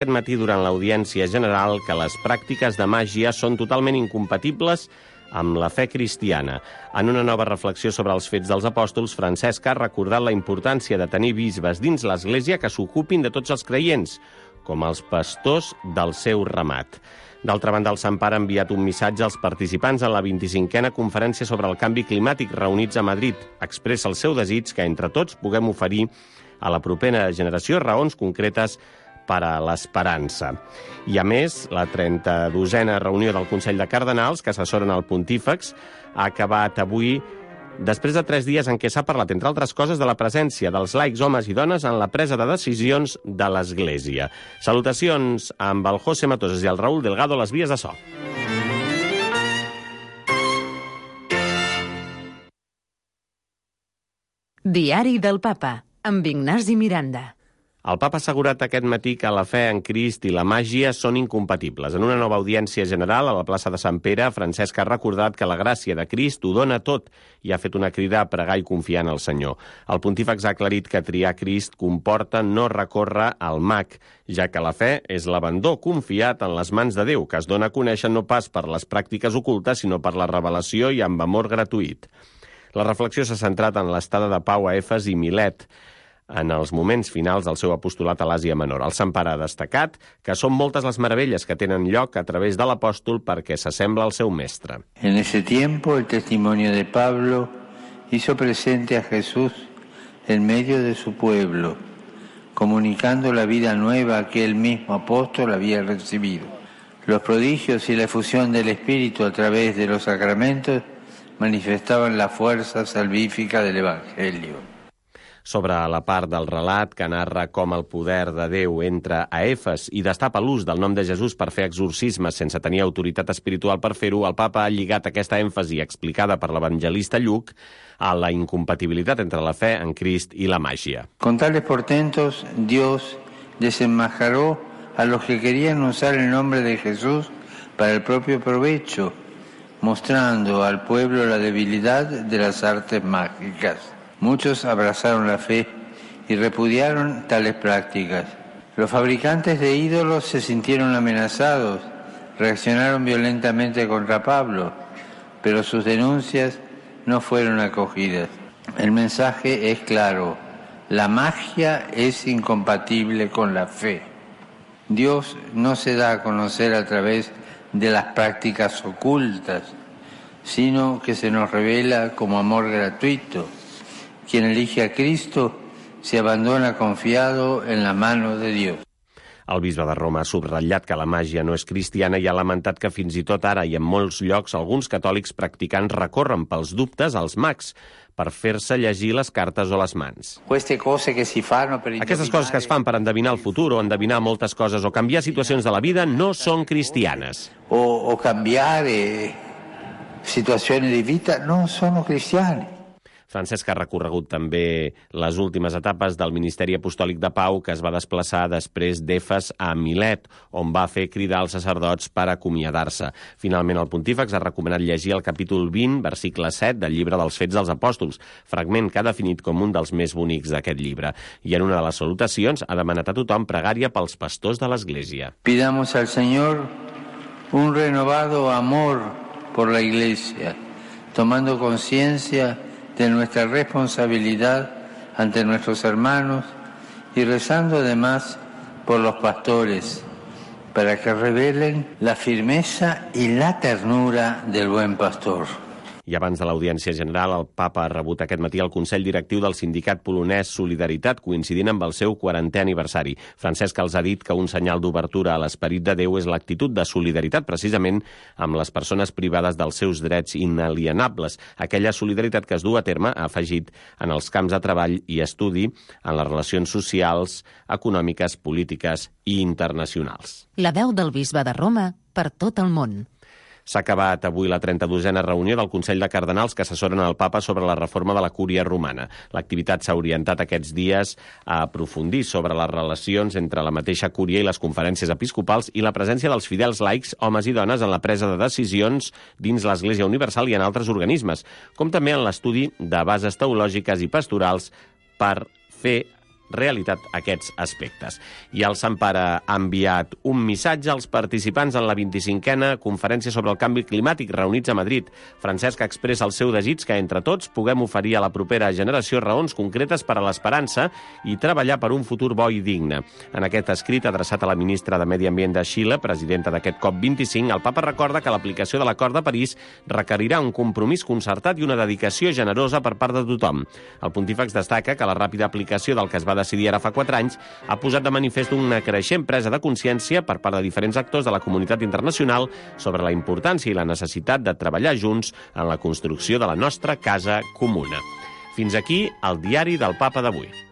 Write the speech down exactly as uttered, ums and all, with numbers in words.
Aquest matí, durant l'audiència general, que les pràctiques de màgia són totalment incompatibles amb la fe cristiana. En una nova reflexió sobre els fets dels apòstols, Francesc ha recordat la importància de tenir bisbes dins l'Església que s'ocupin de tots els creients, com els pastors del seu ramat. D'altra banda, el Sant Pare ha enviat un missatge als participants en la vint-i-cinquena conferència sobre el canvi climàtic reunits a Madrid. Expressa el seu desig que entre tots puguem oferir a la propera generació raons concretes per a l'esperança. I a més, la trenta-dosena reunió del Consell de Cardenals, que assessoren el Pontífex, ha acabat avui després de tres dies en què s'ha parlat, entre altres coses, de la presència dels laics homes i dones en la presa de decisions de l'Església. Salutacions amb el José Matoses i el Raúl Delgado a les vies de so. Diari del Papa, amb Ignasi Miranda. El Papa ha assegurat aquest matí que la fe en Crist i la màgia són incompatibles. En una nova audiència general a la plaça de Sant Pere, Francesc ha recordat que la gràcia de Crist ho dona tot i ha fet una crida a pregar i confiar en el Senyor. El Pontífex ha aclarit que triar Crist comporta no recórrer al mag, ja que la fe és l'abandó confiat en les mans de Déu, que es dona a conèixer no pas per les pràctiques ocultes, sinó per la revelació i amb amor gratuït. La reflexió s'ha centrat en l'estada de pau a Efes i Milet, en els moments finals del seu apostolat a l'Àsia Menor. El Sant Pare ha destacat que són moltes les meravelles que tenen lloc a través de l'apòstol perquè s'assembla al seu mestre. En ese tiempo el testimonio de Pablo hizo presente a Jesús en medio de su pueblo, comunicando la vida nueva que el mismo apóstol había recibido. Los prodigios y la efusión del Espíritu a través de los sacramentos manifestaban la fuerza salvífica del Evangelio. Sobre la part del relat que narra com el poder de Déu entra a Efes i destapa l'ús del nom de Jesús per fer exorcismes sense tenir autoritat espiritual per fer-ho, el Papa ha lligat aquesta èmfasi explicada per l'evangelista Lluc a la incompatibilitat entre la fe en Crist i la màgia. Con tales portentos, Dios desenmascaró a los que querían usar el nombre de Jesús para el propio provecho, mostrando al pueblo la debilidad de las artes mágicas. Muchos abrazaron la fe y repudiaron tales prácticas. Los fabricantes de ídolos se sintieron amenazados, reaccionaron violentamente contra Pablo, pero sus denuncias no fueron acogidas. El mensaje es claro: la magia es incompatible con la fe. Dios no se da a conocer a través de las prácticas ocultas, sino que se nos revela como amor gratuito. Quien elige a Cristo se abandona confiado en la mano de Dios. El bisbe de Roma ha subratllat que la màgia no és cristiana i ha lamentat que fins i tot ara i en molts llocs alguns catòlics practicants recorren pels dubtes als mags per fer-se llegir les cartes o les mans. Aquestes coses que es fan per endevinar el futur o endevinar moltes coses o canviar situacions de la vida no són cristianes. O, o canviar eh, situacions de vida no són cristianes. Francesc ha recorregut també les últimes etapes del Ministeri Apostòlic de Pau, que es va desplaçar després d'Efes a Milet, on va fer cridar els sacerdots per acomiadar-se. Finalment, el Pontífex ha recomanat llegir el capítol vint, versicle set, del llibre dels Fets dels Apòstols, fragment que ha definit com un dels més bonics d'aquest llibre. I en una de les salutacions ha demanat a tothom pregària pels pastors de l'Església. Pidamos al Señor un renovado amor por la Iglesia, tomando conciencia de nuestra responsabilidad ante nuestros hermanos y rezando además por los pastores para que revelen la firmeza y la ternura del buen pastor. I abans de l'audiència general, el Papa ha rebut aquest matí el Consell Directiu del sindicat polonès Solidaritat, coincidint amb el seu quarantè aniversari. Francesc els ha dit que un senyal d'obertura a l'esperit de Déu és l'actitud de solidaritat, precisament amb les persones privades dels seus drets inalienables. Aquella solidaritat que es du a terme, ha afegit, en els camps de treball i estudi, en les relacions socials, econòmiques, polítiques i internacionals. La veu del bisbe de Roma per tot el món. S'ha acabat avui la trenta-dosena reunió del Consell de Cardenals que assessoren el Papa sobre la reforma de la Cúria Romana. L'activitat s'ha orientat aquests dies a aprofundir sobre les relacions entre la mateixa Cúria i les conferències episcopals i la presència dels fidels laics, homes i dones, en la presa de decisions dins l'Església Universal i en altres organismes, com també en l'estudi de bases teològiques i pastorals per fer realitat aquests aspectes. I el Sant Pare ha enviat un missatge als participants en la vint-i-cinquena Conferència sobre el Canvi Climàtic reunits a Madrid. Francesc expressa el seu desig que entre tots puguem oferir a la propera generació raons concretes per a l'esperança i treballar per un futur bo i digne. En aquest escrit adreçat a la ministra de Medi Ambient de Xile, presidenta d'aquest COP vint-i-cinc, el papa recorda que l'aplicació de l'Acord de París requerirà un compromís concertat i una dedicació generosa per part de tothom. El pontífex destaca que la ràpida aplicació del que es va decidir ara fa quatre anys ha posat de manifest una creixent presa de consciència per part de diferents actors de la comunitat internacional sobre la importància i la necessitat de treballar junts en la construcció de la nostra casa comuna. Fins aquí el diari del Papa d'avui.